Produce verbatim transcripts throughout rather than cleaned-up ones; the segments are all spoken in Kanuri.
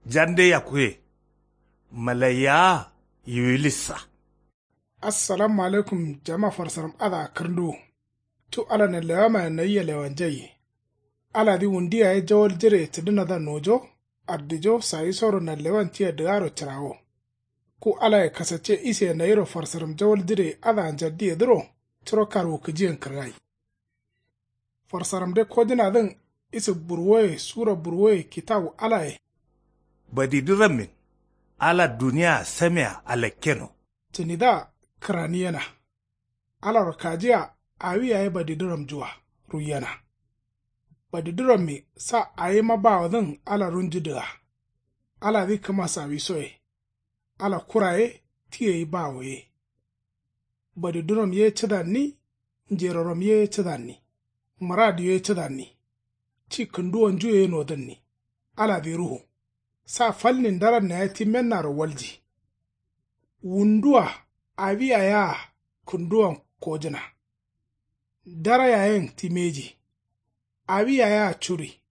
Jande yakkuye. Malaiya yiwilissa. Assalamu alaikum. Jama farsaram adǝa kǝrnduwu. Cu ala nallewamaye nayia lewanjaiye. Aladǝ wundu yaye jawal jireye cǝdǝnadǝa nojo. Ardijo sawisoro nallewan tia dǝgaro cǝrawo. Ku alaye kasacce iseye nayiro farsaram jawal jireye adǝa njaddiyedǝro. Curo karwukǝjiyen kǝrgai. Farsaramde kojǝnadǝn. Isǝ burwoye sura burwoye kitawu alaye. Badidǝrammin. Ala duniyaa samea alakkeno. Cǝnidǝa kǝraniyena. Alaro kajiya. Awi yaye badidǝramnjua ruiyena. Badidǝrammi sa awima bawodǝn ala runju dǝga. Aladǝ kǝma sawisoye. Ala kura ye. Ti gai bawo ye. Badiduram ye cǝdanni. Njeroram ye cǝdanni. Mǝrad ye cǝdanni. Ci kǝnduwonju ye nodǝnni. Aladǝ ruhu. Sa falnin daranna ye ti mennaro walji. Wundua. Awi yayea kǝnduwan kojǝna. Dara yayen ti mbeji. Awi yayea curi.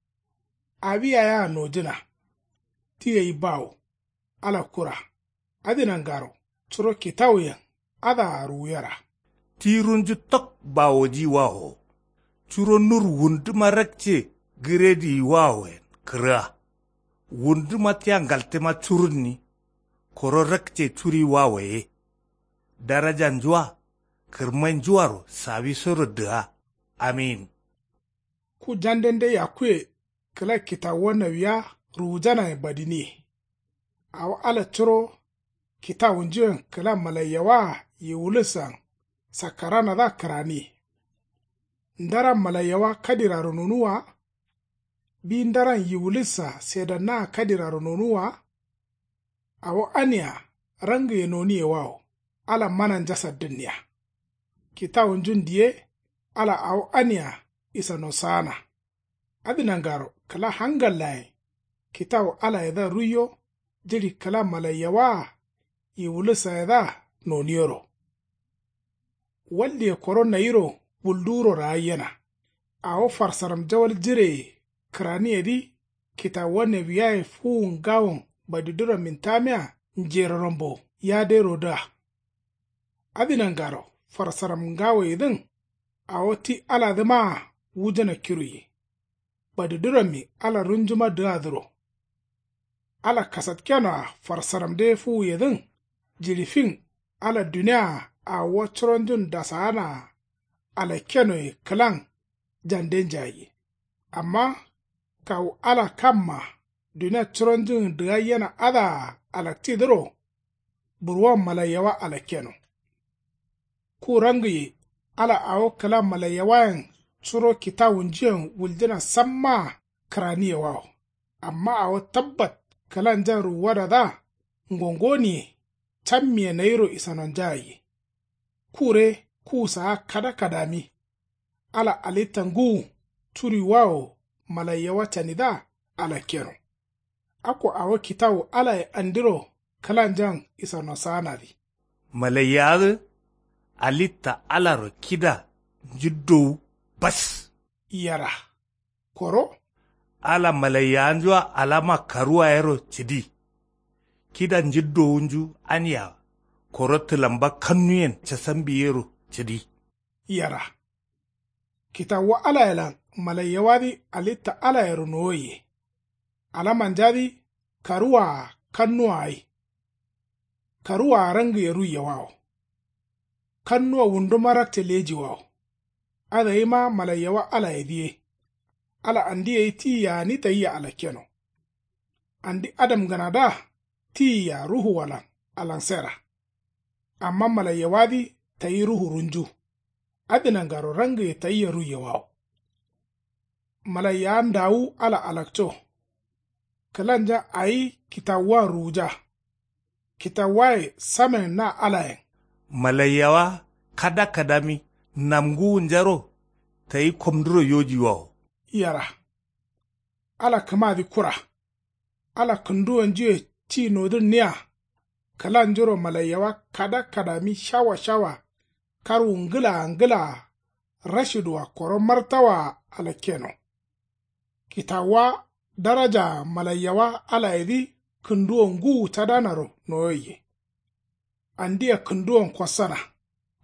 Awi yayea nojǝna. Ti gai bawo. Ala kura. Adǝ nangaro. Curo kitawuyen adǝa ruwuyera. Ti runju tok bawojiyiwawo. Curo nur wunduma rakce gǝrediyiwawoyen kǝrga. Wunduma tia ngaltǝma curunni. Koro rakce curiyiwawo ye. Darajanjua. Kǝrmainjuaro sawisoro dǝga. Amin. Ku jandende yakkuye. Kǝla kitawuwa nawiya ruwujanayen badiniye. Awo ala curo kitawunjuyen kǝla malaiyawaa yiwulǝssan sakkaranadǝa kǝraniye. Ndaran malaiyawa kadiraro nonuwwa wa. Bi ndaran yiwulǝssa sedannaa kadiraro nonuwwa wa. Awo ania rangiye noniyewawo. Ala mananja saddǝnniya. Kitawunjun diye. Ala awo ania isano saana. Adǝ nangaro kǝla hangallayen kitawu alayedǝa ruiyo. Jiɍi kǝla malaiyawaa yiwulǝssayedǝa noniyero. Waldiye koro nayiro wulduwuro ragaiyena. Awo farsaram jawal jireye kǝraniyedǝ. Kitawuwa nawiyaye fuwu ngawon badidurammin tamia njerorambo yaderodǝa. Adǝ nangaro farsaram ngawoyedǝn. Awo ti aladǝmaa wujǝna kiruye. Badidurammi ala runjuma dǝgadǝro. Ala kasatkenoa farsaramde fuwuyedǝn. Jiɍi fin ala duniyaa awuwa curonjun dasaanaa alakkenoye kǝlan jande njayayye. Amma kawu ala kamma dunia curonjun dǝgaiyena adǝa alaktidǝro. Burwon malaiyawa alakkeno. Ku rangiye ala awo kǝla malaiyawayen curo kitawunjuyen wuljǝna sammaa kǝraniyewawo. Amma awo tabbat kǝlanjan ruwuwadadǝa ngongoniye. Cammiye nayiro isanonjayayye. Kure kuwu saa kada kadami. Ala alitta ngǝwu curiwawo malaiyawa canidǝa alakkeno. Akko awo kitawu alaye andiro kǝlanjan isano saanadǝ. Malaiyawadǝ alitta alaro kida njiddowu bas. Yera koro. Ala malaiyawanjua alama karuwa yero cǝdi. Kida njiddowunju ania koro tǝlamba kannuyen casambi yero cǝdi. Yera kitawuwa alayelan malaiyawadǝ alitta alayero nowoiye. Alamanjadǝ karuwaa kannuwa gai. Karuwaa rangiye ruiyewawo. Kannuwa wunduma rakce lejiwawo. Adǝgaima malaiyawa alayedǝ ye. Ala andi gai tiyia gǝni tayia alakkeno. Andi adamgǝnadǝa tiyia ruhuwalan alansera. Amma malaiyawadǝ tayi ruhu runju. Adǝ nangaro rangiye tayia ruiyewawo. Malaiyawa ndawu ala alakco. Kǝlanja awi kitawuwan ruwuja. Kitawuwaye samen na alayen. Malaiyawa kada kadami namngǝwunjaro tayi komduro yojiwawo. Yera ala kǝmadǝ kura. Ala kǝnduwonjuye ci nodǝnniya. Kǝlanjuro malaiyawa kada kadami shawa shawa karwu ngǝlaa ngǝlaa rashidwa koro martawaa alakkeno. Kitawuwa darajaa malaiyawa alayedǝ kǝnduwo ngǝwu cadanaro noyoiye. Andia kǝnduwon kossana.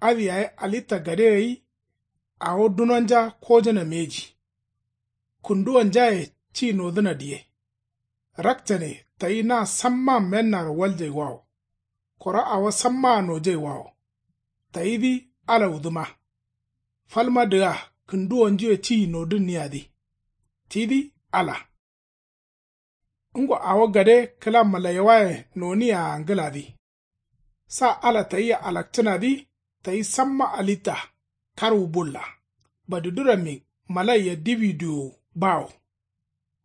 Adǝ yaye alitta gade gai. Awo dunonja kojǝna mbeji. Kǝnduwonjaye ci nodǝna diye. Rakcane tayi na samma mennaro waljaiwawo. Koro awo sammaa nojaiwawo. Tayidǝ ala wudǝma. Falma dǝga kǝnduwonjuye ci nodǝnniyadǝ. Tidǝ ala. Ngo awo gade kǝla malaiyawayen noniyea ngǝladǝ. Sa ala tayia alakcǝnadǝ. Tayi samma alitta. Karwu bulla. Badidurammi malaiya diwi diyowu bawo.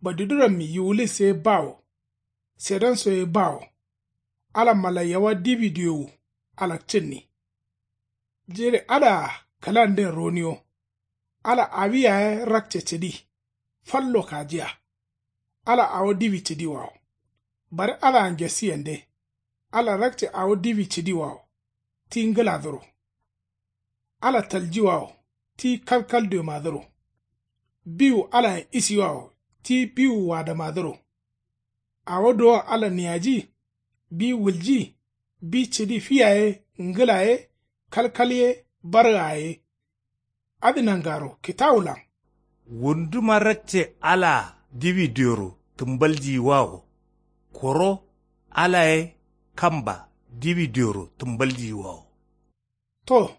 Badidurammi yiwulis ye bawo. Sedanso ye bawo. Ala malaiyawa diwi diyowu alakcǝnni. Jire adǝa kǝlanden roniyo. Ala awi yaye rakce cǝdi. Fallo kajiya. Ala awo diwi cǝdiwawo. Bare adǝa ngesi yande. Ala rakce awo diwi cǝdiwawo. Ti ngǝladǝro. Ala taljiwawo. Ti kalkal diomadǝro. Biwu alayen isiwawo. Ti biwu wadamadǝro. Awo duwon ala niyaji. Bi wulji. Bi cǝdi fi yaye ngǝla ye. Kalkal ye. Bargaa ye. Adǝ nangaro kitawulan. Wunduma rakce alaa diwi dioro tǝmbaljiyiwawo. Koro ala ye kamba diwi dioro tǝmbaljiyiwawo. To.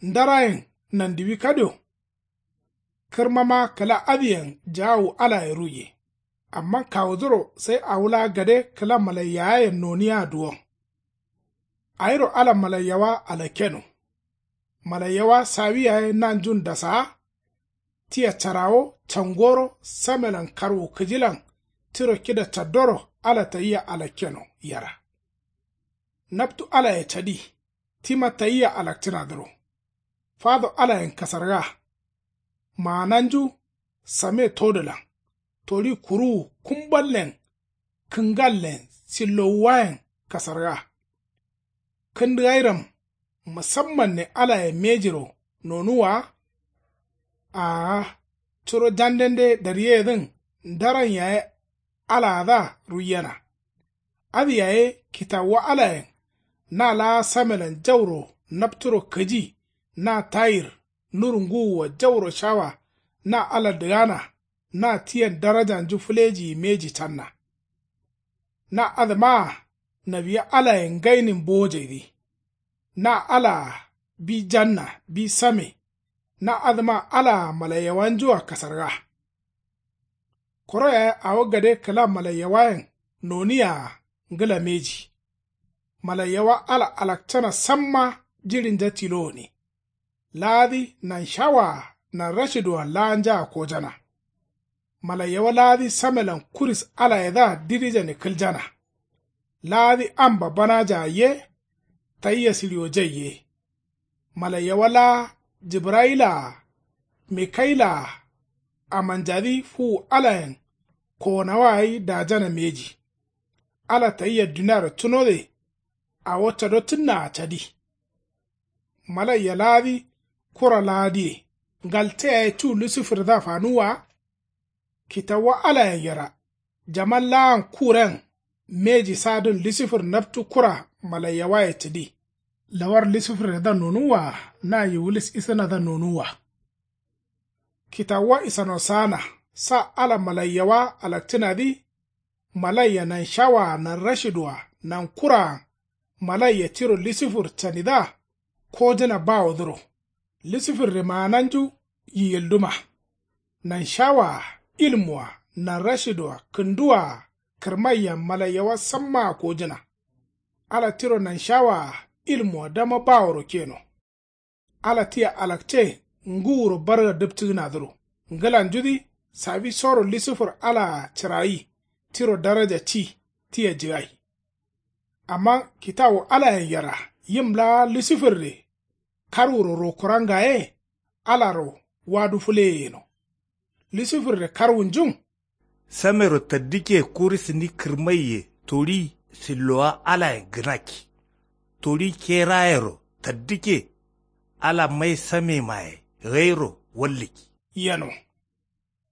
Ndarayen nandiwi kadio. Kǝrmama kǝla adǝyen jaawu alaye ruiye. Amma kawudǝro sai awo laa gade kǝla malaiyawayen noniya duwon. Awiro ala malaiyawa alakkeno. Malaiyawa sawi yaye nanjun dasaa. Tia carawo cangoro samelan karwu kǝjilan. Tiro kida caddoro ala tayia alakkeno yera. Naptu alaye cadi. Tima tayia alakcǝnadǝro. Fado alayen kasarga. Maananju. Same todǝlan. Toli kuruwu kumballen. Kǝngallen sillowuwayen kasarga. Kǝndǝgairam. Musammanne alaye mejiro nonuwwa. Aa. Curo jandende daryeyedǝn ndaran yaye alaadǝa ruiyena. Adǝ yaye kitawuwa alayen. Na laa samelan jauro napturo kǝji. Na tayir. Nur ngǝwuwa jauro shawa. Na ala dǝgana. Na tiyen darajanju fǝlejiyi mbeji canna. Na adǝmaa nawiya alayen ngainin bowojaidǝ. Na alaa bi janna bi same. Na adǝma alaa malaiyawanjua kasarga. Koro yaye awo gade kǝla malaiyawayen noniyea ngǝla mbeji. Malaiyawa ala alakcana samma jiɍinja tilo gǝni. Laadǝ nanshawaa nanrashiduwan laanjaa kojana. Malaiyawa laadǝ samelan kuris alayedǝa dirijane kǝljana. Laadǝ am babbanajaa ye. Tayia sǝɍiwojai ye. Malaiyawa laa jibrayilaa. Mikayilaa. Amanjadǝ fuwu alayen kowonawa gai dajana mbeji. Ala tayia duniaro cunode. Awo cadottǝnnaa cadi. Malaiya laadǝ kura laadǝye. Ngalte yaye cu lusifurdǝa fanuwwa. Kitawuwa alayen yera. Jaman laan kuren. Mbeji sadǝn lusifur naptu kura malaiyawaye cǝdi. Lawar lusifurdǝa nonuwwa. Na yiwulis isǝnadǝa nonuwwa. Kitawuwa isano saana. Sa ala malaiyawa alakcǝnadǝ. Malaiya nanshawaa nanrashiduwa nankuraa. Malaiya tiro lusifur canidǝa. Kojǝna bawodǝro. Lusifurre maananju yiyilduma. Nanshawaa ilmuwa nanrashiduwa kǝnduwaa. Kǝrmaiya malaiyawa sammaa kojǝna. Ala tiro nanshawaa ilmuwa dama baworo keno. Ala tia alakce ngǝwuro barga dǝptǝgǝnadǝro. Ngǝlanjudǝ sawisoro lusifur alaa cǝrayi. Tiro daraja ci tia jǝgai. Amma kitawu alayen yera yim laa lusifurre. Karwuro rokuran ngaye. Alaro wadu fǝleye yeno. Lusifurre karwunjun. Samero taddǝkke kurisǝni kǝrmaiye toɍi sillowa alayen gǝnakki. Toɍi kerayero taddǝkke. Ala mai samemaye gairo wallǝkki. Yeno.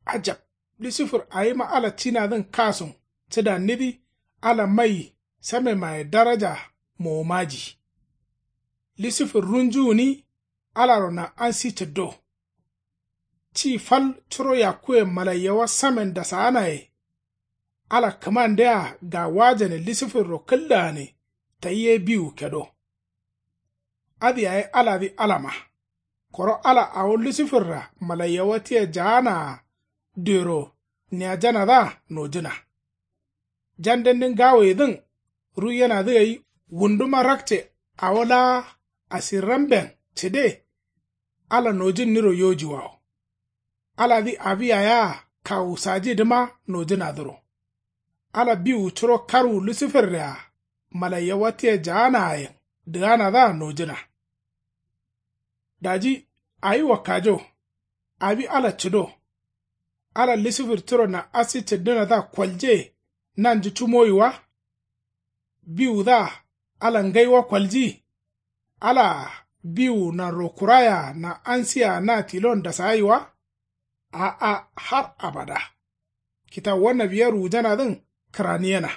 Ajab. Lusifur awima ala cinadǝn kasun cǝdannidǝ. Ala mai samemaye daraja mowo maji. Lusifir runju gǝni alaro nan'ansi cǝddo. Ci fal curo yakkuyen malaiyawa samen dasaanaye. Ala kǝmandea gawajane lusifirro kǝldaane tayi ye biwu kedo. Adǝ yaye aladǝ alama. Koro ala awo lusifirra malaiyawa tia jaanaa dero niyajanadǝa nojǝna. Jandendin gawoyedǝn ruiyenadǝ gai wunduma rakce awo laa asirramben cǝde. Ala nojǝnniro yojiwawo. Aladǝ awi yayea kawu sajidǝma nojǝnadǝro. Ala biwu curo karwu lusifirre-a malaiyawa tia jaanaayen dǝganadǝa nojǝna. Daji awi wakkajo. Awi ala cǝdo. Ala lusifir tiro nan'asi cǝddǝnadǝa kolje nanju cumoyi wa? Biwudǝa ala ngai wa kolji? Alaa biwu nanro kuraye-a nan'ansi-a na tilon dasagai wa? A'a, har abada. Kitawuwa nawiya ruwujanadǝn kǝraniyena.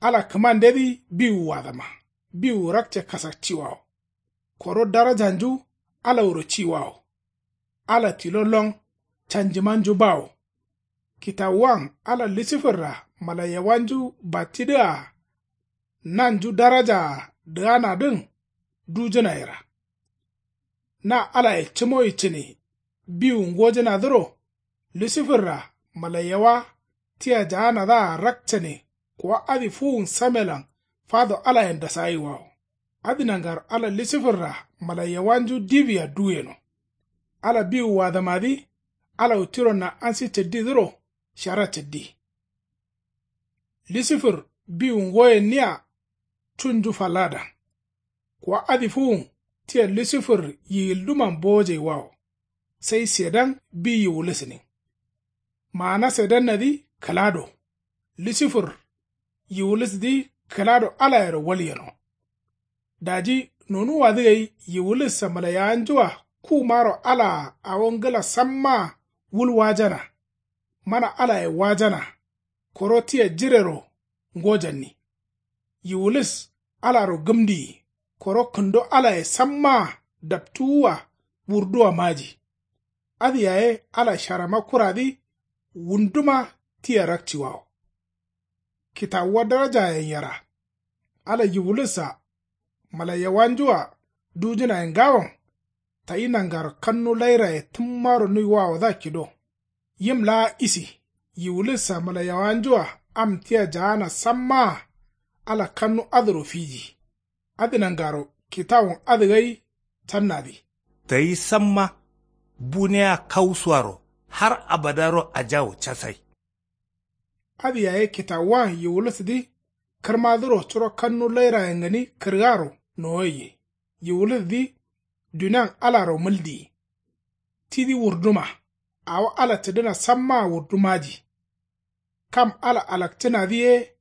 Ala kǝmandedǝ biwu wadama. Biwu rakce kasakciwawo. Koro darajanju alawuro ciwawo. Ala tilo lon canjimanju bawo. Kitawuwan ala lusifirra malaiyawanju battidǝa nanju darajaa dǝganadǝn dujǝnayera. Na alaye cǝmoyi cǝne biwu ngojǝnadǝro lusifirra malaiyawa tia jaanadǝa rakcane kuwa adǝ fuwun samelan fado alayen dasagai wawo. Adǝ nangaro ala lusifirra malaiyawanju diwia duweno. Ala biwu wadamadǝ alawu tiro nan'ansi cǝddidǝro shara cǝddi. Lusifir biwu ngoyenniya cunju falladan. Kuwa adǝ fuwun tia lusifir yiyilduman bowojai wawo. Sai sedan bi yiwulusǝnin. Maana sedannadǝ kǝlado. Lusifir yiwulusdǝ kǝlado alayero walyeno. Daji nonuwwadǝ gai yiwulussa malaiyawanjua kumaro alaa awo ngǝla sammaa wul wajana. Mana alaye wajana. Koro tia jirero ngojanni. Yiwulis alaro gǝmdiyi. Koro kǝndo alaye sammaa daptuwua wurduwa maji. Adǝ yaye ala sharama kuradǝ wunduma tia rakciwawo. Kitawuwa darajayen yera. Ala yiwulussa malaiyawanjua dujǝnaye ngawon. Tayi nangaro kannu lairaye tǝmmaro nuiwawodǝa kido. Yim laa isi yiwulussa malaiyawanjua am tia jaana sammaa ala kannu adǝro fiji. Adǝ nangaro kitawun adǝ gai cannadǝ. Tayi samma bunea kausuaro har abadaro ajawu casai. Adǝ yaye kitawuwan yiwulusdǝ kǝrmadǝro curo kannu lairayen gǝni kǝrgaro nowoiye. Yiwulusdǝ dunian alaro mǝldiyi. Tidǝ wurduma awo ala cǝdǝna sammaa wurdumaji. Kam ala alakcǝnadǝ ye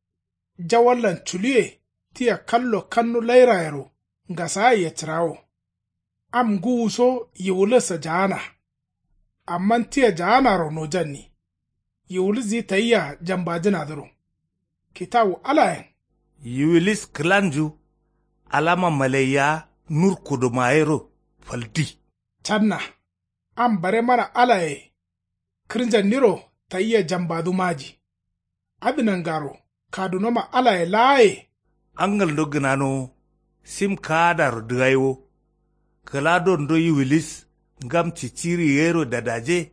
jawallan culuwe tia kallo kannu lairayero ngasagaiye cǝrawo. Am ngǝwu so yiwulussa jaana. Amma tia jaanaro nojanni. Yiwulusdǝ tayia jambajǝnadǝro. Kitawu alayen. Yiwulis kǝlanju alama malaiya nur kudumayero faldi. Canna. Am bare mana alaye kǝrnjanniro tayia jambadu maji. Adǝ nangaro kadunoma alaye laaye. Angalndo gǝnanowo sim kaadaro dǝgaiwo. Kǝladondo yiwilis ngam ciciri gairo dadaje.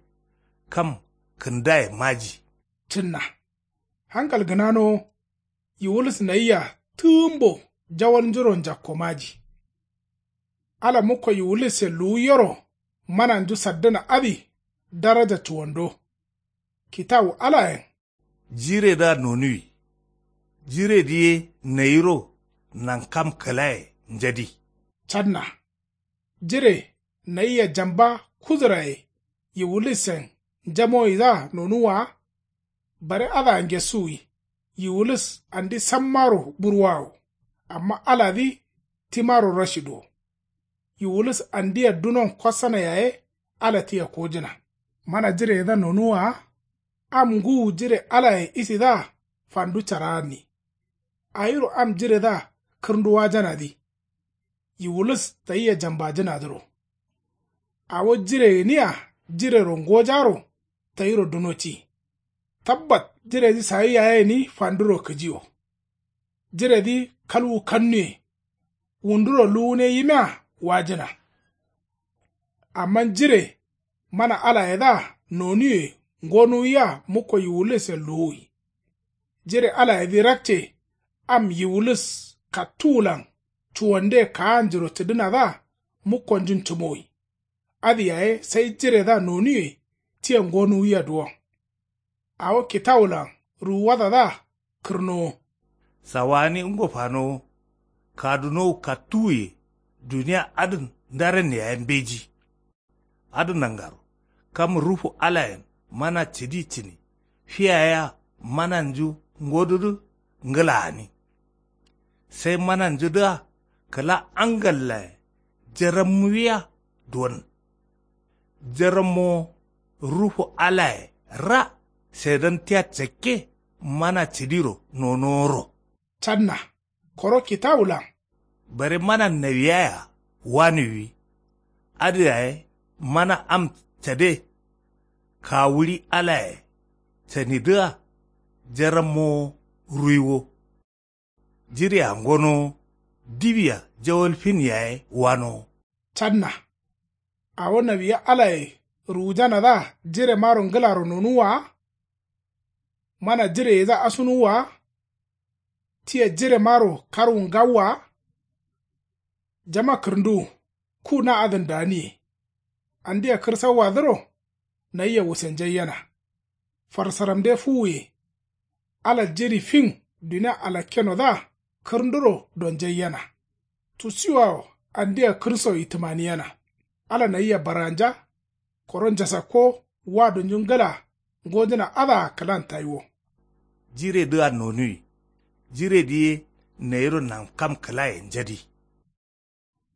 Kam kǝndaye maji. Cǝnna hangal gǝnanowo. Yiwulis nayia tǝgǝmbo jawalnjuro njakko maji. Ala mukko yiwulisse luwuyero mananju saddǝna adǝ daraja cuwando. Kitawu alayen. Jiredǝa nonuwi. Jiredǝ ye nayiro nankam kǝlaye njadi. Canna jire nayia jamba kuduraye yiwulisen njamoyidǝa nonuwwa wa. Bare adǝa ngesuwi. Yiwulis andi sammaro burwawo. Amma aladǝ timaro rashiduwo. Yiwulis andia dunon kosana yaye ala tia kojǝna. Mana jireyedǝa nonuwwa wa. Am ngǝwu jire alaye isidǝa fandu caraanni. Awiro am jiredǝa kǝrndu wajanadǝ yiwulis tayia jambajǝnadǝro. Awo jire gǝnia jirero ngojaro tayiro duno ti. Tabbat jiredǝ sawi yaye gǝni fanduro kǝjiwo. Jiredǝ kalwu kannuwe. Wunduro luwune yimia wajǝna. Amma jire mana alayedǝa nonuwe ngonuwiya mukko yiwulisen luwuwi. Jire alayedǝ rakce am yiwulis kattuwulan cuwande kaanjuro cǝdǝnadǝa mukkonjun cǝmowi. Adǝ yaye sai jiredǝa nonuwe tia ngonuwiya duwon. Awo kitawulan ruwuwadadǝa kǝrnowo. Sawagǝni ngo fanowo. Kadunowu kattuwuye dunia adǝn ndaran yaye mbeji. Adǝ nangaro kam rufu alayen mana cǝdi cǝni. Fiya yea mananju ngodudǝ ngǝla gǝni. Sai mananjudǝa kǝla angallaye jarammuwiya duwon. Jarammowo rufu alaye ra sedan tia cakke mana cǝdiro nonoworo. Canna koro kitawulan. Bare mana nawiyaya wanuwi. Adǝ yaye mana am cade. Kawuɍi alaye canidǝa jarammowo ruiwo. Jirea ngonowo diwia jawal fin yaye wanowo. Canna awo nawiya alaye ruwujanadǝa jiremaro ngǝlaro nonuwwa wa. Mana jireyedǝa asunuwwa wa. Tia jiremaro karwu ngawwa wa. Jama kǝrǝnduwu ku na adǝn daniye. Andia kǝrsauwadǝro nayia wusenjaiyena. Farsaramde fuwuye. Ala jiri fin dunia alakkenodǝa kǝrǝnduro donjaiyena. Tusiwawo andia kǝrso yitǝmaniyena. Ala nayia barganja. Koro njasakko wadunju ngǝla ngojǝna adǝa kǝlan taiwo. Jiredǝa nonuwi. Jiredǝ ye nayiro nankam kǝlaye njadi.